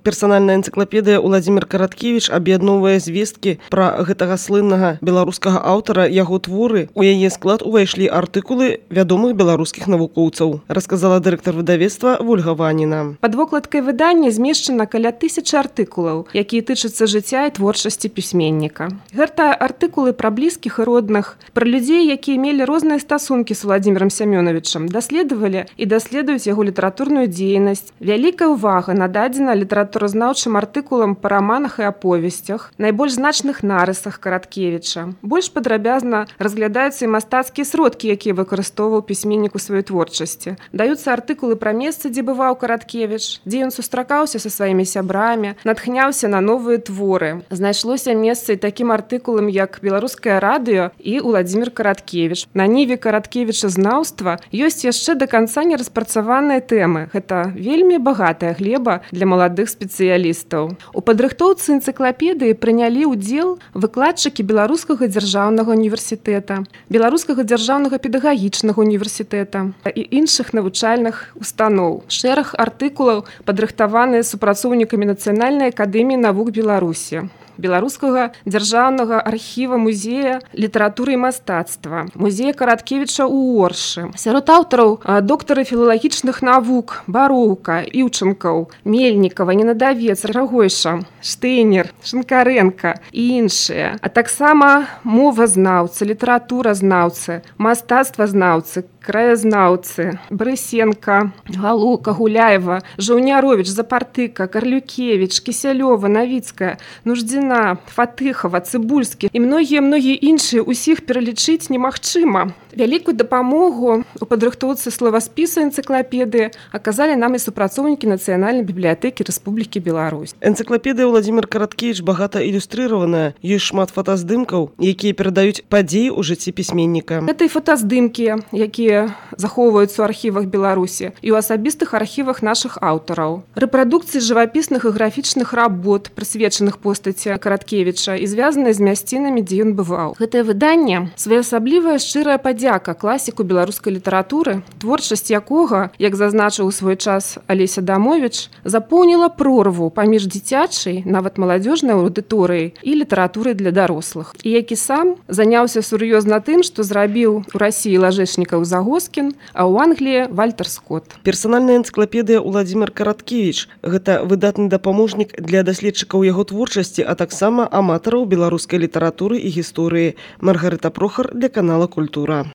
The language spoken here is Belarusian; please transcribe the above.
Персанальная энцыклапедыя Уладзімір Караткевіч аб'ядноўвае звесткі пра гэтага слыннага беларускага аўтара, яго творы. У яе склад увайшлі артыкулы вядомых беларускіх навукоўцаў, расказала дырэктар выдавецтва Вольга Ваніна. Пад вокладкай выдання змешчана каля 1000 артыкулаў, якія тычацца жыцця і творчасці пісьменніка. Гэта артыкулы пра блізкіх і родных, пра людзей, якія мелі розныя стасункі з Уладзімірам Сямёнавічам, даследавалі і даследуюць яго літаратурную дзейнасць. Вялікая ўвага нададзена літаратуразнаўчым артыкулам па раманах і аповесцях, найбольш значных нарысах Караткевіча. Больш падрабязна разглядаюцца і мастацкія сродкі, якія выкарыстоўваў пісьменнік у сваёй творчасці. Даюцца артыкулы пра месца, дзе бываў Караткевіч, дзе ён сустракаўся са сваімі сябрамі, натхняўся на новыя творы. Знайшлося месца і такім артыкулам, як беларускае радыё і Уладзімір Караткевіч. На ніве Караткевіча знаўства ёсць яшчэ да канца не распрацаваныя тэмы. Гэта вельмі багатая глеба для маладых спецыялістаў. У падрыхтоўцы энцыклапедыі прынялі ўдзел выкладчыкі Беларускага дзяржаўнага універсітэта, Беларускага дзяржаўнага педагагічнага універсітэта і іншых навучальных устаноў. Шэраг артыкулаў падрыхтаваныя супрацоўнікамі Нацыянальнай акадэміі навук Беларусі, Беларускага дзяржаўнага архіва музея літаратуры і мастацтва, музея Караткевіча ў Оршы. Сярод аўтараў доктары філалагічных навук Бароўка, Іўчанкаў, Мельнікава, Ненадавец, Рагойша, Штейнер, Шинкаренка і іншыя, а таксама мовазнаўцы, літаратуразнаўцы, мастацтвазнаўцы, краязнаўцы, Брысенка, Галука, Гуляева, Жаўняровіч, Запартыка, Карлюкевіч, Кісялёва, Навіцкая, Нуждзіна, Фатыхава, Цыбульскі і многія іншыя, усіх пералічыць немагчыма. Вялікую дапамогу у падрыхтоўцы словаспісу энцыклапедыі аказалі нам і супрацоўнікі Нацыянальнай бібліятэкі Рэспублікі Беларусь. Энцыклапедыя Уладзімір Караткевіч багата ілюстрыраваная, ёсць шмат фотаздымкаў, якія перадаюць падзеі ў жыцці пісьменніка. Гэта і фотаздымкі, якія захоўваюцца ў архівах Беларусі і ў асабістых архівах нашых аўтараў. Рэпрадукцыі жывапісных і графічных работ, прысвечаных постаці Караткевіча і звязаныя з мясцінамі, дзе ён бываў. Гэтае выданне своеасаблівая шчырая падзяка класіку беларускай літаратуры, творчасць якога, як зазначыў у свой час Алеся Адамовіч, запоўніла прорву паміж дзіцячай, нават маладзёжнай аўдыторыяй і літаратурай для дарослых. І які сам заняўся сур'ёзна тым, што зрабіў у Расіі Лажэшнікаў Загоскін, а ў Англіі Вальтер Скотт. Персанальная энцыклапедыя Уладзімір Караткевіч – гэта выдатны дапаможнік для даследчыкаў яго творчасці, а таксама аматараў беларускай літаратуры і гісторыі. Маргарыта Прохар для канала Культура.